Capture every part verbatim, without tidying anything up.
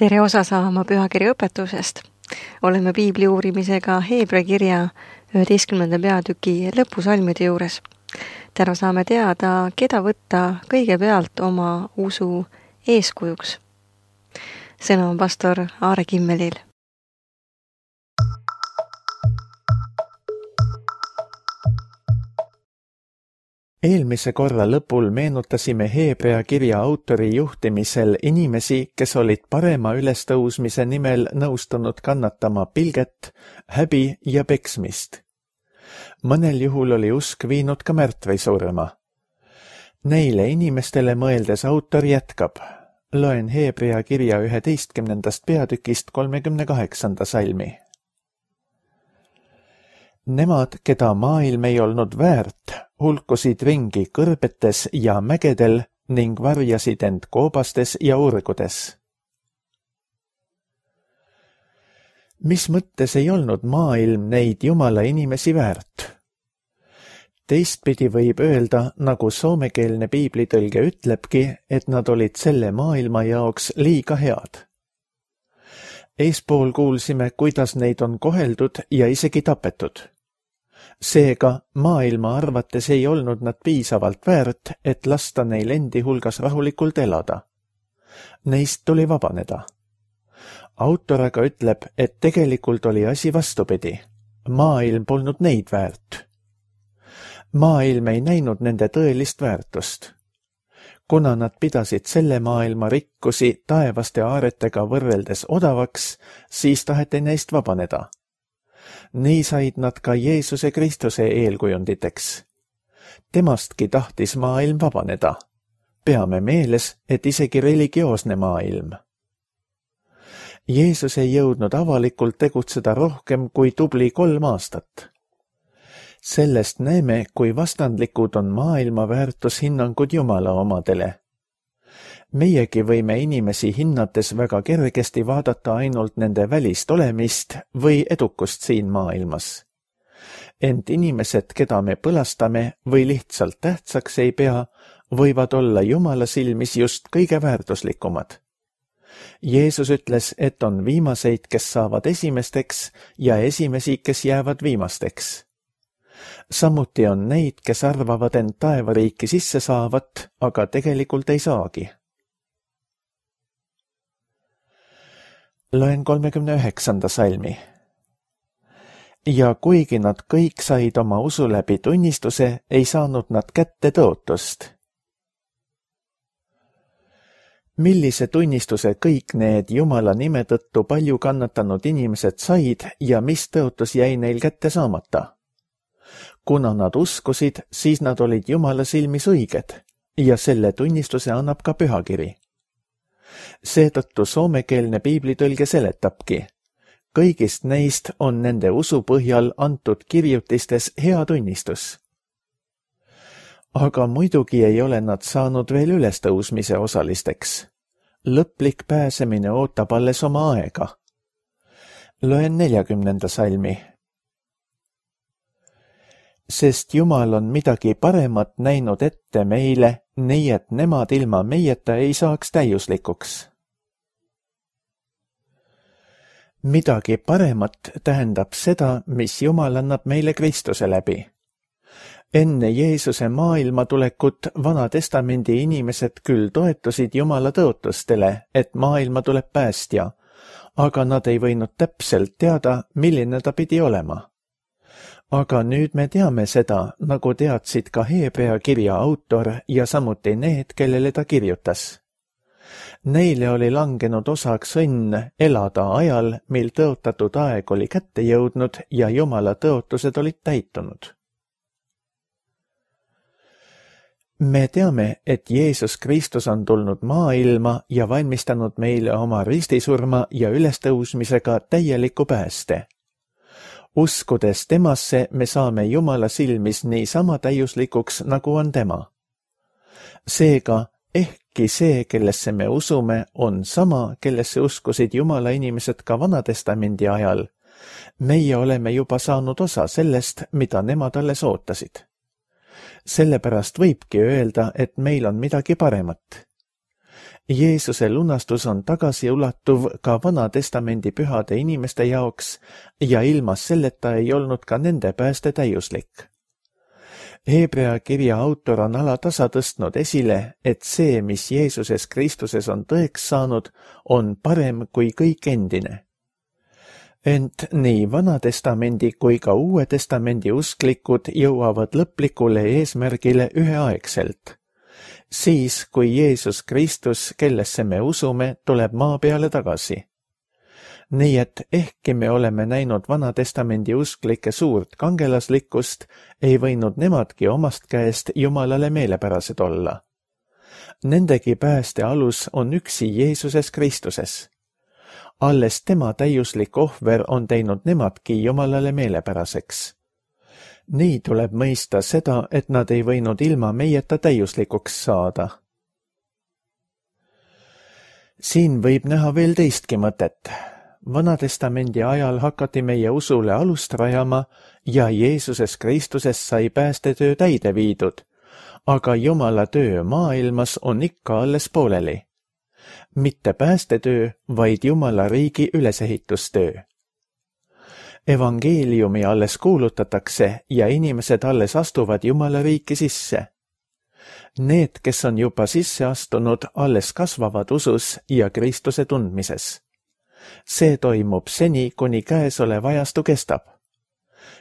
Tere osa saama pühakirja õpetusest. Oleme piibli uurimisega Heebrea kirja üheteistkümnenda peatüki lõpusalmide juures. Täna saame teada, keda võtta kõigepealt oma usu eeskujuks. Sõna on pastor Aare Kimmelil. Eelmise korra lõpul meenutasime Heebrea kirja autori juhtimisel inimesi, kes olid parema ülestõusmise nimel nõustunud kannatama pilget, häbi ja peksmist. Mõnel juhul oli usk viinud ka märtvi surma. Neile inimestele mõeldes autor jätkab. Loen Heebrea kirja üheteistkümnendast peatükist kolmekümne kaheksanda salmi. Nemad, keda maailm ei olnud väärt, hulkusid ringi kõrbetes ja mägedel ning varjasid end koobastes ja urgudes. Mis mõttes ei olnud maailm neid Jumala inimesi väärt? Teistpidi võib öelda, nagu soomekeelne piiblitõlge ütlebki, et nad olid selle maailma jaoks liiga head. Eespool kuulsime, kuidas neid on koheldud ja isegi tapetud. Seega maailma arvates ei olnud nad piisavalt väärt, et lasta neil endi hulgas rahulikult elada. Neist tuli vabaneda. Autor aga ütleb, et tegelikult oli asi vastupidi. Maailm polnud neid väärt. Maailm ei näinud nende tõelist väärtust. Kuna nad pidasid selle maailma rikkusi taevaste aaretega võrreldes odavaks, siis taheti neist vabaneda. Nii said nad ka Jeesuse Kristuse eelkujunditeks. Temastki tahtis maailm vabaneda. Peame meeles, et isegi religioosne maailm. Jeesus ei jõudnud avalikult tegutseda rohkem kui tubli kolm aastat. Sellest näeme, kui vastandlikud on maailma väärtushinnangud Jumala omadele. Meiegi võime inimesi hinnates väga kergesti vaadata ainult nende välist olemist või edukust siin maailmas. Ent inimesed, keda me põlastame või lihtsalt tähtsaks ei pea, võivad olla Jumala silmis just kõige väärtuslikumad. Jeesus ütles, et on viimaseid, kes saavad esimesteks ja esimesi, kes jäävad viimasteks. Samuti on neid, kes arvavad end taevariiki sisse saavat, aga tegelikult ei saagi. Loen kolmekümne üheksanda salmi. Ja kuigi nad kõik said oma usu läbi tunnistuse, ei saanud nad kätte tõotust. Millise tunnistuse kõik need Jumala nime tõttu palju kannatanud inimesed said ja mis tõotus jäi neil kätte saamata? Kuna nad uskusid, siis nad olid Jumala silmis õiged ja selle tunnistuse annab ka pühakiri. Seetõttu soomekeelne piiblitõlge seletabki. Kõigist neist on nende usu põhjal antud kirjutistes hea tunnistus. Aga muidugi ei ole nad saanud veel ülestõusmise osalisteks. Lõplik pääsemine ootab alles oma aega. Loen neljakümnenda salmi. Sest Jumal on midagi paremat näinud ette meile, nii et nemad ilma meieta ei saaks täiuslikuks. Midagi paremat tähendab seda, mis Jumal annab meile Kristuse läbi. Enne Jeesuse maailma tulekut Vana Testamendi inimesed küll toetusid Jumala tõotustele, et maailma tuleb päästja, aga nad ei võinud täpselt teada, milline ta pidi olema. Aga nüüd me teame seda, nagu teadsid ka Heebrea kirja autor ja samuti need, kellele ta kirjutas. Neile oli langenud osaks õnn elada ajal, mil tõotatud aeg oli kätte jõudnud ja Jumala tõotused olid täitunud. Me teame, et Jeesus Kristus on tulnud maailma ja valmistanud meile oma ristisurma ja ülestõusmisega täieliku pääste. Uskudes temasse me saame Jumala silmis nii sama täiuslikuks, nagu on tema. Seega, ehkki see, kellesse me usume, on sama, kellesse uskusid Jumala inimesed ka Vanatestamendi ajal, meie oleme juba saanud osa sellest, mida nemad alles ootasid. Sellepärast võibki öelda, et meil on midagi paremat. Jeesuse lunastus on tagasiulatuv ka Vana Testamendi pühade inimeste jaoks ja ilma selleta ei olnud ka nende pääste täiuslik. Hebrea kirja autor on alatasa tõstnud esile, et see, mis Jeesuses Kristuses on tõeks saanud, on parem kui kõik endine. Ent nii Vana Testamendi kui ka Uue Testamendi usklikud jõuavad lõplikule eesmärgile üheaegselt. Siis, kui Jeesus Kristus, kellesse me usume, tuleb maa peale tagasi. Nii et ehkki me oleme näinud Vana Testamendi usklike suurt kangelaslikkust, ei võinud nemadki omast käest Jumalale meelepärased olla. Nendegi pääste alus on üksi Jeesuses Kristuses. Alles tema täiuslik ohver on teinud nemadki Jumalale meelepäraseks. Nii tuleb mõista seda, et nad ei võinud ilma meieta täiuslikuks saada. Siin võib näha veel teistki mõtet. Vanatestamendi ajal hakati meie usule alust rajama ja Jeesuses Kristuses sai päästetöö täide viidud, aga Jumala töö maailmas on ikka alles pooleli. Mitte päästetöö, vaid Jumala riigi ülesehitustöö. Evangeeliumi alles kuulutatakse ja inimesed alles astuvad Jumala riiki sisse. Need, kes on juba sisse astunud, alles kasvavad usus ja Kristuse tundmises. See toimub seni, kuni käesolev ajastu kestab.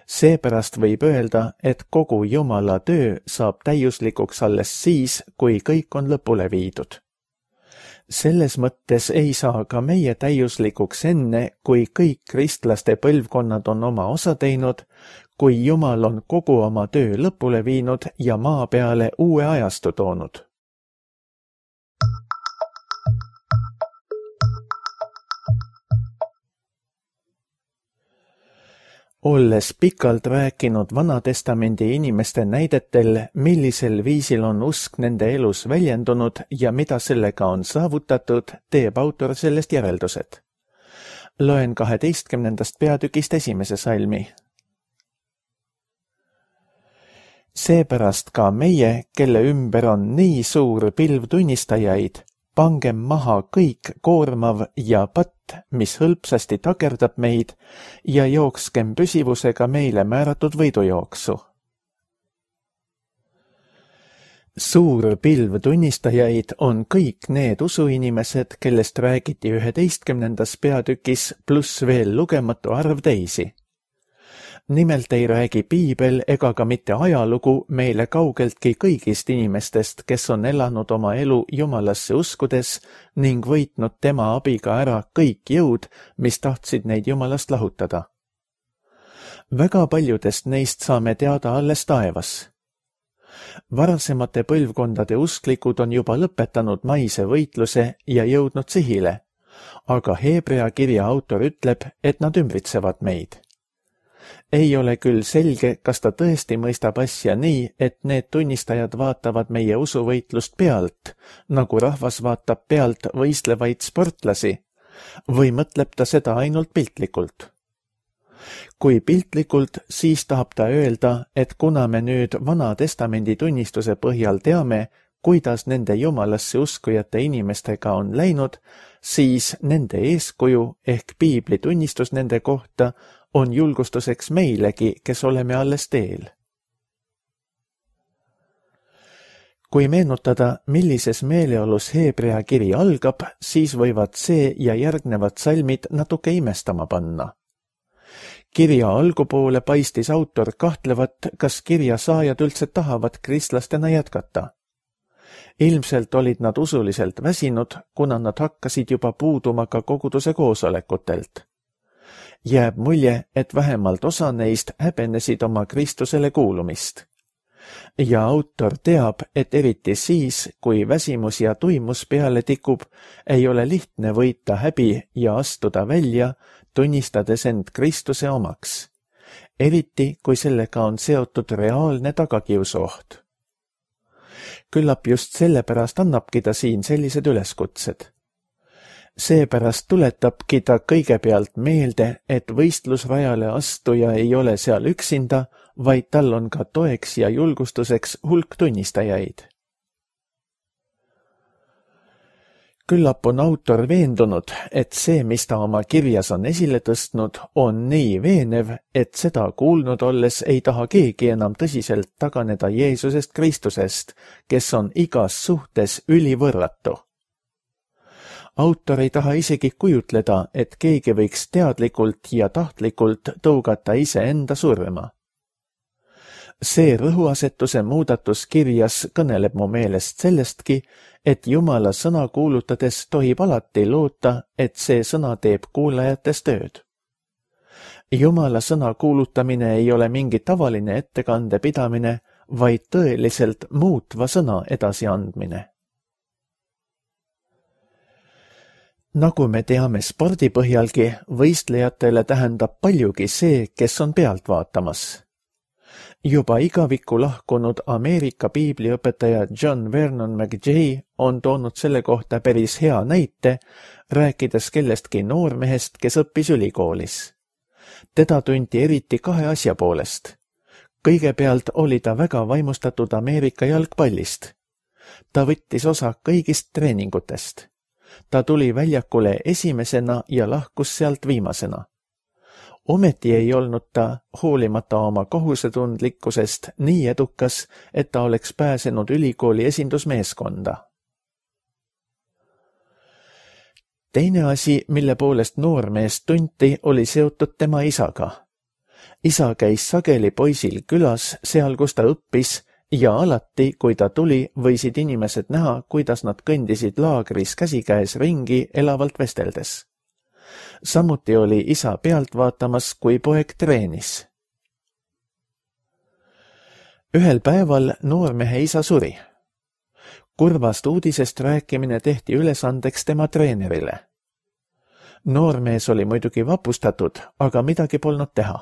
Seepärast võib öelda, et kogu Jumala töö saab täiuslikuks alles siis, kui kõik on lõpule viidud. Selles mõttes ei saa ka meie täiuslikuks enne, kui kõik kristlaste põlvkonnad on oma osa teinud, kui Jumal on kogu oma töö lõpule viinud ja maa peale uue ajastu toonud. Olles pikalt rääkinud Vanatestamendi inimeste näidetel, millisel viisil on usk nende elus väljendunud ja mida sellega on saavutatud, teeb autor sellest järeldused. Loen kaheteistkümnendast peatükist esimese salmi. Seepärast ka meie, kelle ümber on nii suur pilv tunnistajaid, pangem maha kõik koormav ja patt, mis hõlpsasti takerdab meid ja jookskem püsivusega meile määratud võidujooksu. Suur pilv tunnistajaid on kõik need usuinimesed, kellest räägiti üheteistkümnendas peatükis pluss veel lugematu arv teisi. Nimelt ei räägi piibel ega ka mitte ajalugu meile kaugeltki kõigist inimestest, kes on elanud oma elu Jumalasse uskudes ning võitnud tema abiga ära kõik jõud, mis tahtsid neid Jumalast lahutada. Väga paljudest neist saame teada alles taevas. Varasemate põlvkondade usklikud on juba lõpetanud maise võitluse ja jõudnud sihile, aga Hebrea kirja autor ütleb, et nad ümbritsevad meid. Ei ole küll selge, kas ta tõesti mõistab asja nii, et need tunnistajad vaatavad meie usuvõitlust pealt, nagu rahvas vaatab pealt võistlevaid sportlasi, või mõtleb ta seda ainult piltlikult. Kui piltlikult, siis tahab ta öelda, et kuna me nüüd Vana Testamendi tunnistuse põhjal teame, kuidas nende Jumalasse uskujate inimestega on läinud, siis nende eeskuju ehk piibli tunnistus nende kohta on julgustuseks meilegi, kes oleme alles teel. Kui meenutada, millises meeleolus Hebrea kiri algab, siis võivad see ja järgnevad salmid natuke imestama panna. Kirja algupoole paistis autor kahtlevat, kas kirja saajad üldse tahavad kristlastena jätkata. Ilmselt olid nad usuliselt väsinud, kuna nad hakkasid juba puuduma ka koguduse koosolekutelt. Jääb mulje, et vähemalt osa neist häbenesid oma Kristusele kuulumist. Ja autor teab, et eriti siis, kui väsimus ja tuimus peale tikub, ei ole lihtne võita häbi ja astuda välja, tunnistades end Kristuse omaks. Eriti, kui sellega on seotud reaalne tagakiusuoht. Küllap just sellepärast annabki ta siin sellised üleskutsed. Seepärast tuletabki ta kõigepealt meelde, et võistlusrajale astuja ei ole seal üksinda, vaid tal on ka toeks ja julgustuseks hulk tunnistajaid. Küllap on autor veendunud, et see, mis ta oma kirjas on esile tõstnud, on nii veenev, et seda kuulnud olles ei taha keegi enam tõsiselt taganeda Jeesusest Kristusest, kes on igas suhtes ülivõrratu. Autor ei taha isegi kujutleda, et keegi võiks teadlikult ja tahtlikult tõugata iseenda surma. See rõhuasetuse muudatus kirjas kõneleb mu meelest sellestki, et Jumala sõna kuulutades tohib alati loota, et see sõna teeb kuulajates tööd. Jumala sõna kuulutamine ei ole mingi tavaline ettekande pidamine, vaid tõeliselt muutva sõna edasiandmine. Nagu me teame spordi põhjalgi, võistlejatele tähendab paljugi see, kes on pealt vaatamas. Juba igavikku lahkunud Ameerika piibliõpetaja John Vernon McGee on toonud selle kohta päris hea näite, rääkides kellestki noormehest, kes õppis ülikoolis. Teda tunti eriti kahe asja poolest. Kõigepealt oli ta väga vaimustatud Ameerika jalgpallist. Ta võttis osa kõigist treeningutest. Ta tuli väljakule esimesena ja lahkus sealt viimasena. Ometi ei olnud ta, hoolimata oma kohusetundlikkusest, nii edukas, et ta oleks pääsenud ülikooli esindusmeeskonda. Teine asi, mille poolest noormeest tunti, oli seotud tema isaga. Isa käis sageli poisil külas, seal kus ta õppis, ja alati, kui ta tuli, võisid inimesed näha, kuidas nad kõndisid laagris käsikäes ringi elavalt vesteldes. Samuti oli isa pealt vaatamas, kui poeg treenis. Ühel päeval noormehe isa suri. Kurvast uudisest rääkimine tehti ülesandeks tema treenerile. Noormees oli muidugi vapustatud, aga midagi polnud teha.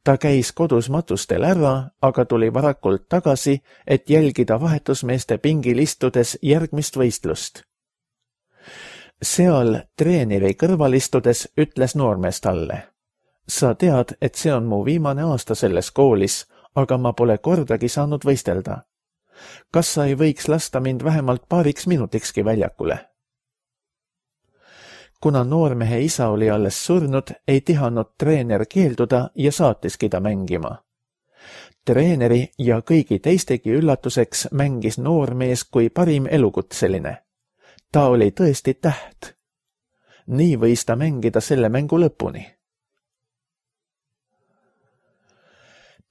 Ta käis kodus matustel ära, aga tuli varakult tagasi, et jälgida vahetusmeeste pingil istudes järgmist võistlust. Seal treeneri kõrval istudes ütles noormees talle: sa tead, et see on mu viimane aasta selles koolis, aga ma pole kordagi saanud võistelda. Kas sa ei võiks lasta mind vähemalt paariks minutikski väljakule? Kuna noormehe isa oli alles surnud, ei tihanud treener keelduda ja saatiski ta mängima. Treeneri ja kõigi teistegi üllatuseks mängis noormees kui parim elukutseline. Ta oli tõesti täht. Nii võis ta mängida selle mängu lõpuni.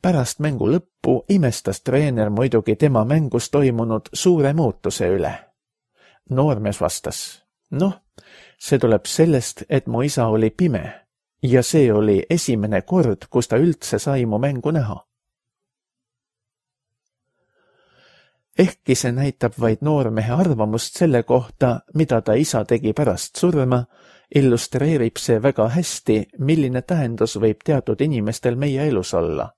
Pärast mängu lõppu imestas treener muidugi tema mängus toimunud suure muutuse üle. Noormees vastas: noh, see tuleb sellest, et mu isa oli pime ja see oli esimene kord, kus ta üldse sai mu mängu näha. Ehkki see näitab vaid noormehe arvamust selle kohta, mida ta isa tegi pärast surma, illustreerib see väga hästi, milline tähendus võib teatud inimestel meie elus olla.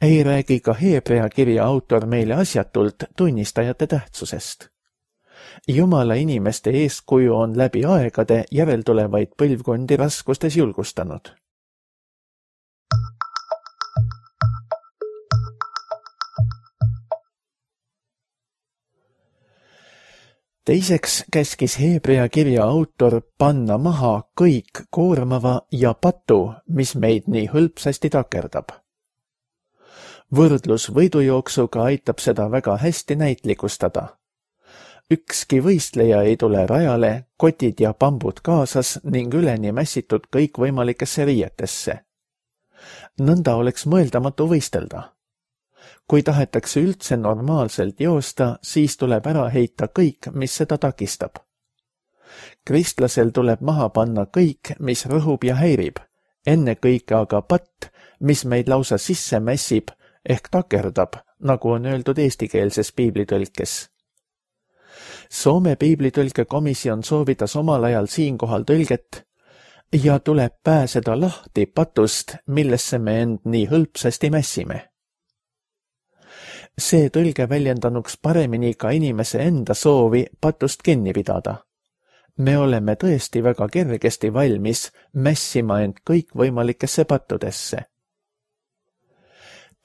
Ei räägi ka Heebrea kirja autor meile asjatult tunnistajate tähtsusest. Jumala inimeste eeskuju on läbi aegade järeltulevaid põlvkondi raskustes julgustanud. Teiseks käskis Heebrea kirja autor panna maha kõik koormava ja patu, mis meid nii hõlpsasti takerdab. Võrdlus võidujooksuga aitab seda väga hästi näitlikustada. Ükski võistleja ei tule rajale, kotid ja pambud kaasas ning üleni mässitud kõikvõimalikesse riietesse. Nõnda oleks mõeldamatu võistelda. Kui tahetakse üldse normaalselt joosta, siis tuleb ära heita kõik, mis seda takistab. Kristlasel tuleb maha panna kõik, mis rõhub ja häirib, ennekõike aga patt, mis meid lausa sisse mässib ehk takerdab, nagu on öeldud eestikeelses piiblitõlkes. Soome piiblitõlkekomisjon soovitas omal ajal siinkohal tõlget ja tuleb pääseda lahti patust, millesse me end nii hõlpsasti mässime. See tõlge väljendanuks paremini ka inimese enda soovi patust kinni pidada. Me oleme tõesti väga kergesti valmis mässima end kõikvõimalikesse pattudesse.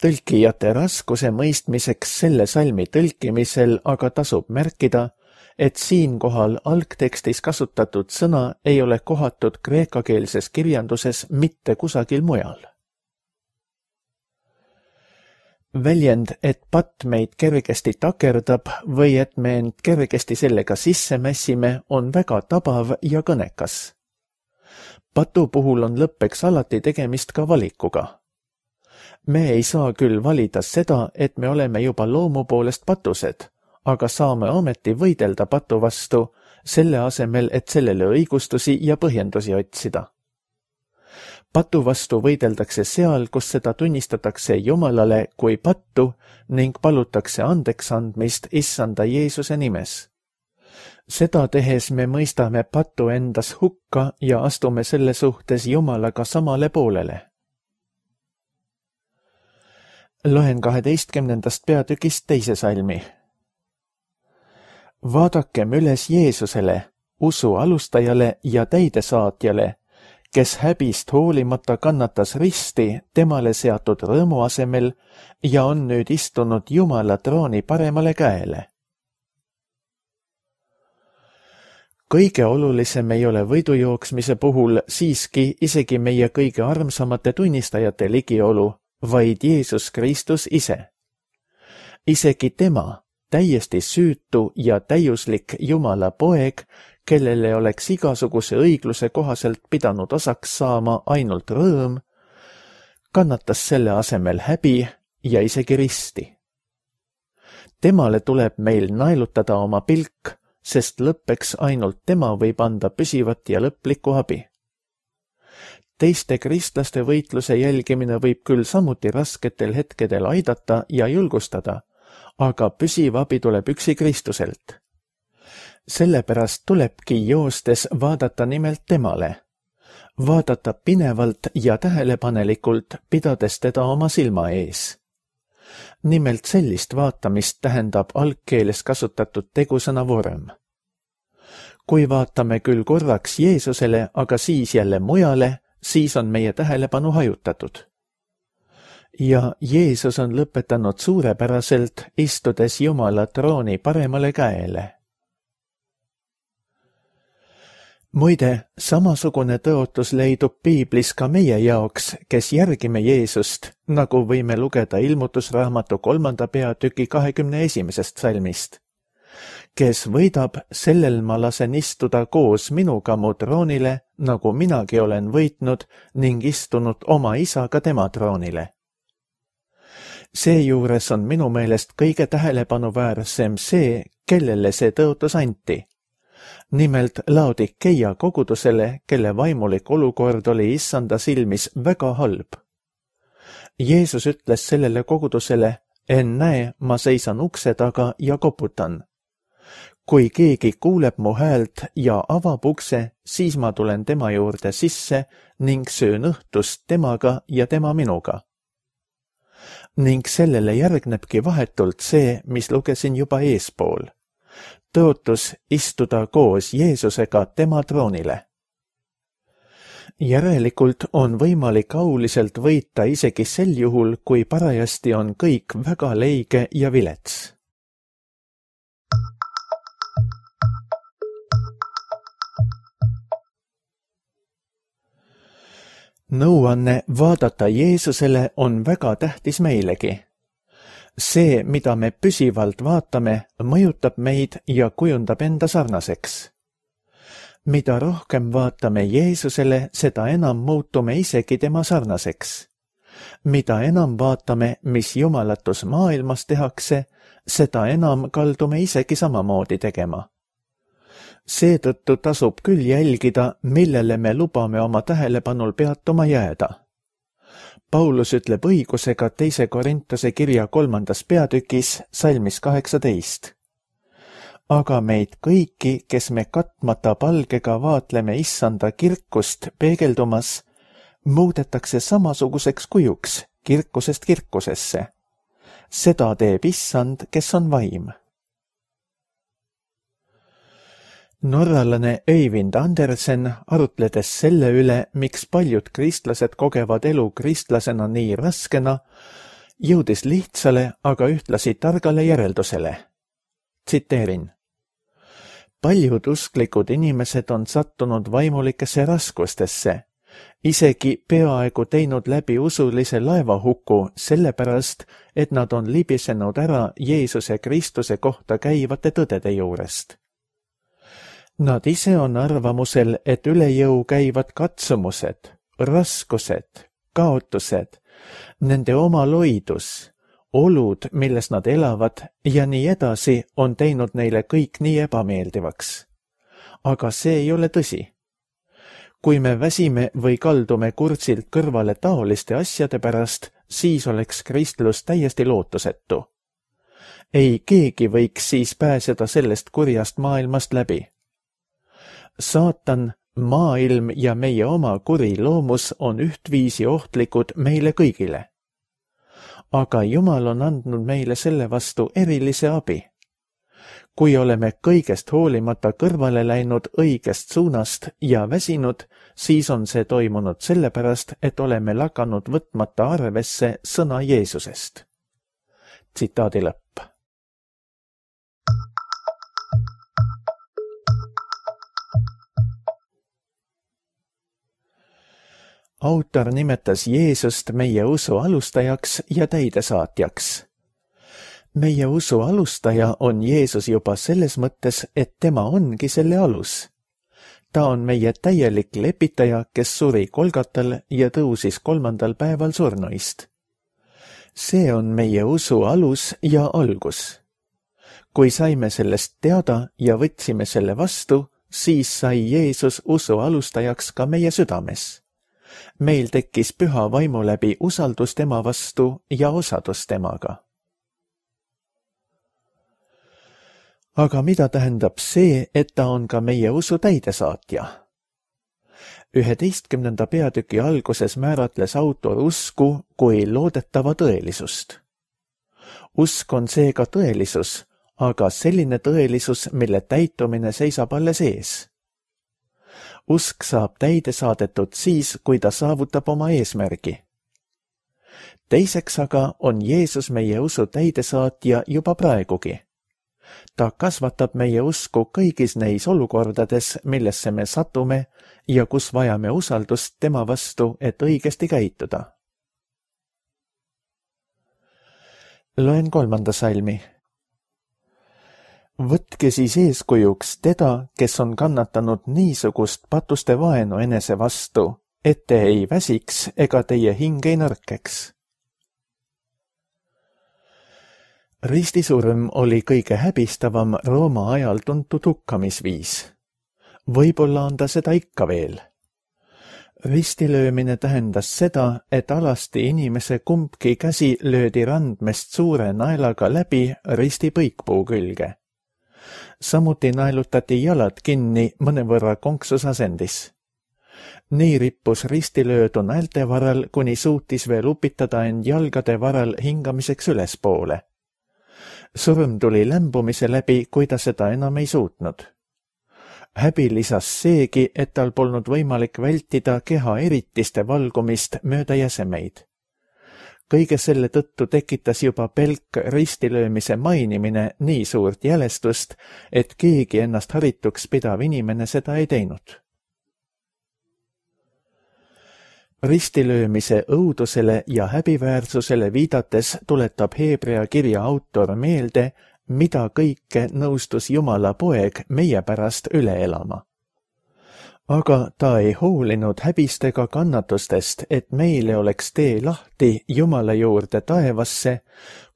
Tõlkijate raskuse mõistmiseks selle salmi tõlkimisel aga tasub märkida, et siinkohal algtekstis kasutatud sõna ei ole kohatud kreekakeelses kirjanduses mitte kusagil mujal. Väljend, et patt meid kergesti takerdab või et me end kergesti sellega sisse mässime, on väga tabav ja kõnekas. Patu puhul on lõppeks alati tegemist ka valikuga. Me ei saa küll valida seda, et me oleme juba loomu poolest patused, aga saame ometi võidelda patu vastu, selle asemel, et sellele õigustusi ja põhjendusi otsida. Patu vastu võideldakse seal, kus seda tunnistatakse Jumalale kui pattu ning palutakse andeks andmist Issanda Jeesuse nimes. Seda tehes me mõistame patu endas hukka ja astume selle suhtes Jumalaga samale poolele. Loen kaheteistkümnendast peatükist teise salmi. Vaadakem üles Jeesusele, usu alustajale ja täidesaatjale, kes häbist hoolimata kannatas risti temale seatud rõõmu asemel ja on nüüd istunud Jumala trooni paremale käele. Kõige olulisem ei ole võidujooksmise puhul siiski isegi meie kõige armsamate tunnistajate ligiolu, vaid Jeesus Kristus ise. Isegi tema, täiesti süütu ja täiuslik Jumala poeg, kellele oleks igasuguse õigluse kohaselt pidanud osaks saama ainult rõõm, kannatas selle asemel häbi ja isegi risti. Temale tuleb meil naelutada oma pilk, sest lõppeks ainult tema võib anda püsivat ja lõplikku abi. Teiste kristlaste võitluse jälgimine võib küll samuti rasketel hetkedel aidata ja julgustada, aga püsiv abi tuleb üksi Kristuselt. Sellepärast tulebki joostes vaadata nimelt temale, vaadata pinevalt ja tähelepanelikult, pidades teda oma silma ees. Nimelt sellist vaatamist tähendab algkeeles kasutatud tegusõna vorm. Kui vaatame küll korraks Jeesusele, aga siis jälle mujale, siis on meie tähelepanu hajutatud. Ja Jeesus on lõpetanud suurepäraselt, istudes Jumala trooni paremale käele. Muide, samasugune tõotus leidub piiblis ka meie jaoks, kes järgime Jeesust, nagu võime lugeda ilmutusraamatu kolmanda peatüki kahekümne esimesest salmist. Kes võidab, sellel ma lasen istuda koos minuga mu troonile, nagu minagi olen võitnud ning istunud oma isaga tema troonile. Seejuures on minu meelest kõige tähelepanuväärsem see, kellele see tõotus anti. Nimelt Laodikeia kogudusele, kelle vaimulik olukord oli issanda silmis väga halb. Jeesus ütles sellele kogudusele, ennäe, ma seisan ukse taga ja koputan. Kui keegi kuuleb mu häält ja avab ukse, siis ma tulen tema juurde sisse ning söön õhtust temaga ja tema minuga. Ning sellele järgnebki vahetult see, mis lugesin juba eespool. Tõotus istuda koos Jeesusega tema troonile. Järelikult on võimalik auliselt võita isegi sel juhul, kui parajasti on kõik väga leige ja vilets. Nõuanne vaadata Jeesusele on väga tähtis meilegi. See, mida me püsivalt vaatame, mõjutab meid ja kujundab enda sarnaseks. Mida rohkem vaatame Jeesusele, seda enam muutume isegi tema sarnaseks. Mida enam vaatame, mis jumalatus maailmas tehakse, seda enam kaldume isegi samamoodi tegema. Seetõttu tasub küll jälgida, millele me lubame oma tähelepanul peatuma jääda. Paulus ütleb õigusega teise Korintuse kirja kolmandas peatükis, salmis kaheksateist. Aga meid kõiki, kes me katmata palgega vaatleme issanda kirkust peegeldumas, muudetakse samasuguseks kujuks kirkusest kirkusesse. Seda teeb issand, kes on vaim. Norralane Øyvind Andersen, arutledes selle üle, miks paljud kristlased kogevad elu kristlasena nii raskena, jõudis lihtsale, aga ühtlasi targale järeldusele. Tsiteerin. paljud usklikud inimesed on sattunud vaimulikesse raskustesse, isegi peaaegu teinud läbi usulise laevahuku sellepärast, et nad on libisenud ära Jeesuse Kristuse kohta käivate tõdede juurest. Nad ise on arvamusel, et üle jõu käivad katsumused, raskused, kaotused, nende oma loidus, olud, milles nad elavad ja nii edasi on teinud neile kõik nii ebameeldivaks. Aga see ei ole tõsi. Kui me väsime või kaldume kursilt kõrvale taoliste asjade pärast, siis oleks kristlus täiesti lootusetu. Ei keegi võiks siis pääseda sellest kurjast maailmast läbi. Saatan, maailm ja meie oma kuri loomus on ühtviisi ohtlikud meile kõigile. Aga Jumal on andnud meile selle vastu erilise abi. Kui oleme kõigest hoolimata kõrvale läinud õigest suunast ja väsinud, siis on see toimunud sellepärast, et oleme lakanud võtmata arvesse sõna Jeesusest. Tsitaadi lõpp. Autor nimetas Jeesust meie usu alustajaks ja täidesaatjaks. Meie usu alustaja on Jeesus juba selles mõttes, et tema ongi selle alus. Ta on meie täielik lepitaja, kes suri Kolgatal ja tõusis kolmandal päeval surnuist. See on meie usu alus ja algus. Kui saime sellest teada ja võtsime selle vastu, siis sai Jeesus usu alustajaks ka meie südames. Meil tekkis püha vaimu läbi usaldus tema vastu ja osadus temaga. Aga mida tähendab see, et ta on ka meie usu täidesaatja? üheteistkümnenda peatüki alguses määratles autor usku kui loodetava tõelisust. Usk on seega tõelisus, aga selline tõelisus, mille täitumine seisab alles ees. Usk saab täide saadetud siis, kui ta saavutab oma eesmärgi. Teiseks aga on Jeesus meie usu täidesaatja juba praegugi. Ta kasvatab meie usku kõigis neis olukordades, millesse me satume ja kus vajame usaldust tema vastu, et õigesti käituda. Loen kolmanda salmi. Võtke siis eeskujuks teda, kes on kannatanud niisugust patuste vaenu enese vastu, et te ei väsiks ega teie hing ei nõrkeks. Ristisurm oli kõige häbistavam Rooma ajal tuntud hukkamisviis. Võib-olla on ta seda ikka veel. Ristilöömine tähendas seda, et alasti inimese kumbki käsi löödi randmest suure naelaga läbi risti põikpuu külge. Samuti naelutati jalad kinni mõnevõrra konksus asendis. Nii rippus ristilöödu näelte varal, kuni suutis veel upitada end jalgade varal hingamiseks ülespoole. Surm tuli lämbumise läbi, kui ta seda enam ei suutnud. Häbi lisas seegi, et tal polnud võimalik vältida keha eritiste valgumist mööda jäsemeid. Kõige selle tõttu tekitas juba pelk ristilöömise mainimine nii suurt jälestust, et keegi ennast harituks pidav inimene seda ei teinud. Ristilöömise õudusele ja häbiväärsusele viidates tuletab Heebrea kirja autor meelde, mida kõike nõustus Jumala poeg meie pärast üle elama. Aga ta ei hoolinud häbist ega kannatustest, et meile oleks tee lahti Jumala juurde taevasse,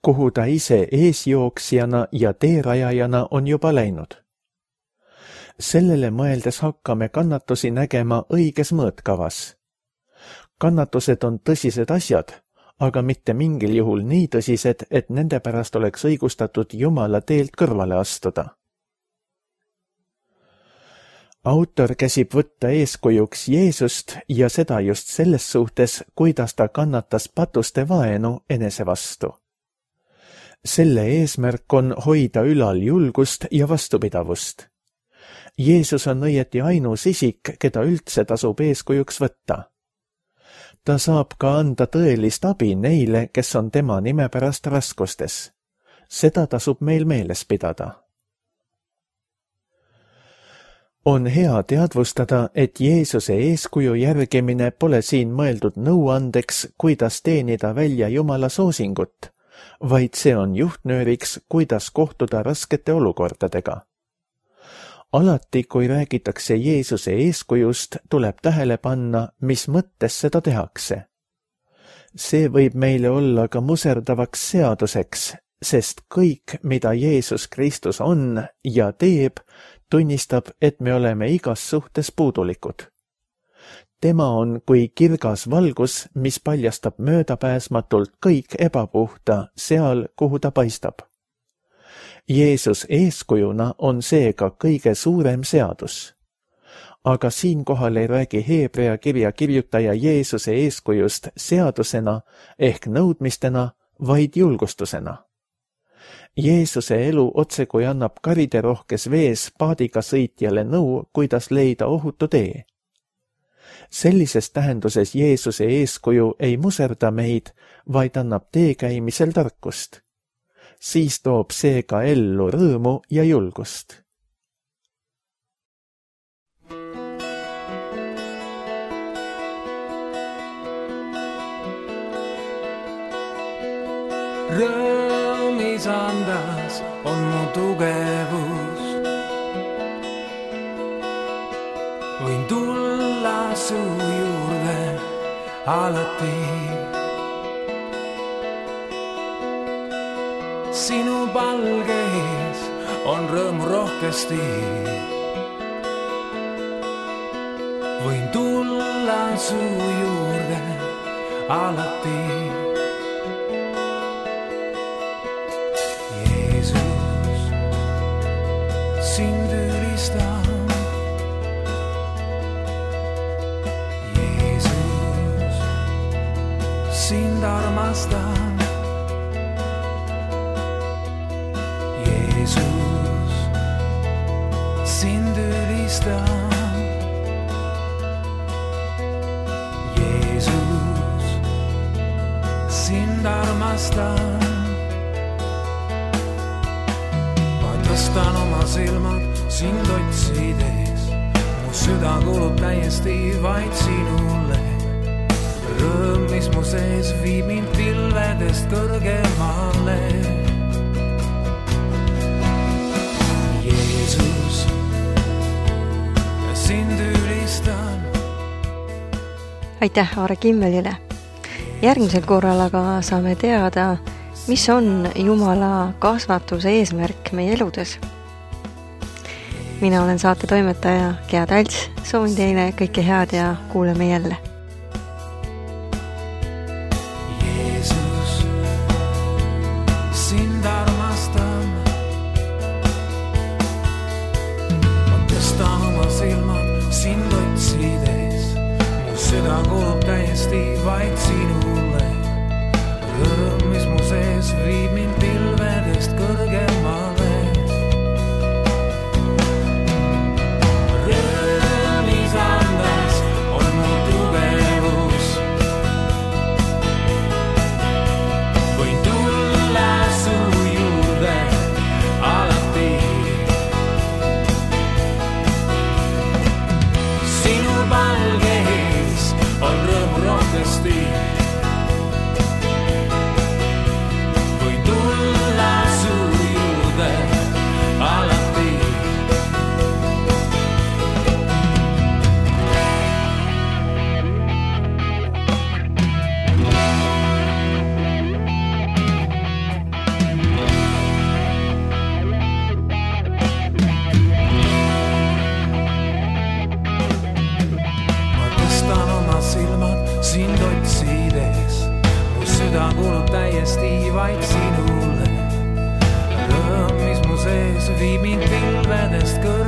kuhu ta ise eesjooksjana ja teerajajana on juba läinud. Sellele mõeldes hakkame kannatusi nägema õiges mõõtkavas. Kannatused on tõsised asjad, aga mitte mingil juhul nii tõsised, et nende pärast oleks õigustatud Jumala teelt kõrvale astuda. Autor käsib võtta eeskujuks Jeesust ja seda just selles suhtes, kuidas ta kannatas patuste vaenu enese vastu. Selle eesmärk on hoida ülal julgust ja vastupidavust. Jeesus on õieti ainus isik, keda üldse tasub eeskujuks võtta. Ta saab ka anda tõelist abi neile, kes on tema nime pärast raskustes. Seda tasub meil meeles pidada. On hea teadvustada, et Jeesuse eeskuju järgimine pole siin mõeldud nõuandeks, kuidas teenida välja Jumala soosingut, vaid see on juhtnööriks, kuidas kohtuda raskete olukordadega. Alati, kui räägitakse Jeesuse eeskujust, tuleb tähele panna, mis mõttes seda tehakse. See võib meile olla ka muserdavaks seaduseks, sest kõik, mida Jeesus Kristus on ja teeb, tunnistab, et me oleme igas suhtes puudulikud. Tema on kui kirgas valgus, mis paljastab möödapääsmatult kõik ebapuhta seal, kuhu ta paistab. Jeesus eeskujuna on seega kõige suurem seadus. Aga siinkohal ei räägi Heebrea kirja kirjutaja Jeesuse eeskujust seadusena ehk nõudmistena, vaid julgustusena. Jeesuse elu otsekui annab kariderohkes vees paadiga sõitjale nõu, kuidas leida ohutu tee. Sellises tähenduses Jeesuse eeskuju ei muserda meid, vaid annab tee käimisel tarkust. Siis toob see ka ellu rõõmu ja julgust. Rõõmis andas on mu tugevus. Võin tulla su juurde alati. Sinu palgeis on rõõmu rohkesti. Võin tulla su juurde alati. Sind ülistan, Jeesus, sind armastan, Jeesus, sind ülistan, Jeesus, sind armastan. Tõstan oma silmad sind otsides, mu süda kulub täiesti vaid sinule. Rõõm, mis mu sees viib mind pilvedest kõrgemale. Jeesus, sind ülistan. Aitäh Aare Kimmelile. Järgmisel korral aga saame teada, mis on Jumala kasvatuse eesmärk meie eludes. Mina olen saate toimetaja Gea Talts, soovin teile kõike head ja kuuleme jälle. Jeesus, sind armastan. Ma tõstan oma silmad sind otsides, mu süda kulub täiesti vaid sinule. Rõõm, mis mu sees viib mind pilvedest kõrgemale. Rõõmis andas on mu tugevus. Võin tulla su juurde alati. Sinu palgeis on rõõmu rohkesti. Sind otsides, mu süda kulub täiesti vaid sinule. Rõõm, mis mu sees viib mind pilvedest kõrgemale.